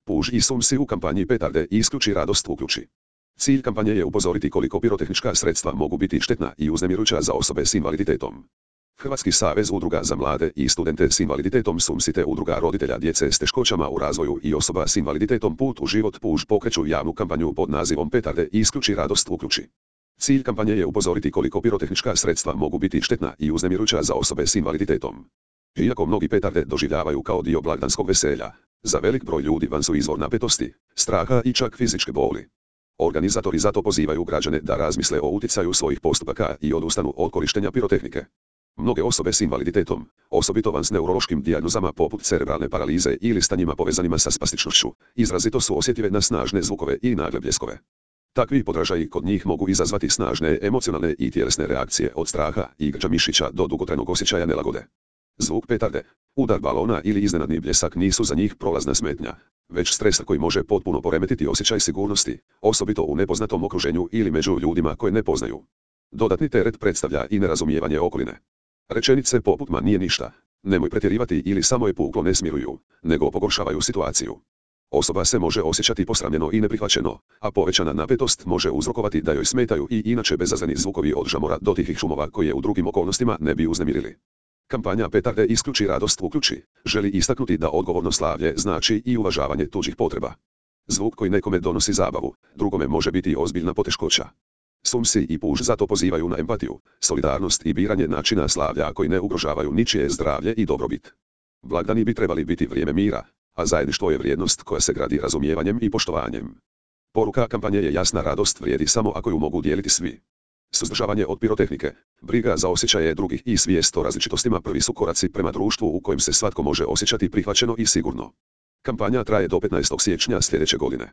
Puž i sumsi u kampanji petarde i isključi radost uključi. Cilj kampanje je upozoriti koliko pirotehnička sredstva mogu biti štetna i uznemirujuća za osobe s invaliditetom. Hrvatski savez udruga za mlade i studente s invaliditetom SUMSI te udruga roditelja djece s teškoćama u razvoju i osoba s invaliditetom Put u život Puž pokreću javnu kampanju pod nazivom Petarde i isključi radost uključi. Cilj kampanje je upozoriti koliko pirotehnička sredstva mogu biti štetna i uznemirujuća za osobe s invaliditetom. Iako mnogi petarde doživljavaju kao dio blagdanskog veselja, za velik broj ljudi van su izvor napetosti, straha i čak fizičke boli. Organizatori zato pozivaju građane da razmisle o utjecaju svojih postupaka i odustanu od korištenja pirotehnike. Mnoge osobe s invaliditetom, osobito van s neurološkim dijagnozama poput cerebralne paralize ili stanjima povezanima sa spastičnošću, izrazito su osjetljive na snažne zvukove i nagle bljeskove. Takvi podražaji kod njih mogu izazvati snažne emocionalne i tjelesne reakcije od straha i grča mišića do dugotrajnog osjećaja nelagode. Zvuk petarde, udar balona ili iznenadni bljesak nisu za njih prolazna smetnja, već stres koji može potpuno poremetiti osjećaj sigurnosti, osobito u nepoznatom okruženju ili među ljudima koje ne poznaju. Dodatni teret predstavlja i nerazumijevanje okoline. Rečenice poput ma nije ništa, nemoj pretjerivati ili samo je puklo ne smiruju, nego pogoršavaju situaciju. Osoba se može osjećati posramljeno i neprihvaćeno, a povećana napetost može uzrokovati da joj smetaju i inače bezazleni zvukovi od žamora do tihih šumova koje u drugim okolnostima ne bi uznemirili. Kampanja Petarde isključi radost uključi želi istaknuti da odgovorno slavlje znači i uvažavanje tuđih potreba. Zvuk koji nekome donosi zabavu, drugome može biti ozbiljna poteškoća. SUMSI i Puž zato pozivaju na empatiju, solidarnost i biranje načina slavlja koji ne ugrožavaju ničije zdravlje i dobrobit. Blagdani bi trebali biti vrijeme mira, a zajedništvo je vrijednost koja se gradi razumijevanjem i poštovanjem. Poruka kampanje je jasna, radost vrijedi samo ako ju mogu dijeliti svi. Suzdržavanje od pirotehnike, briga za osjećaje drugih i svijest o različitostima prvi su koraci prema društvu u kojem se svatko može osjećati prihvaćeno i sigurno. Kampanja traje do 15. siječnja sljedeće godine.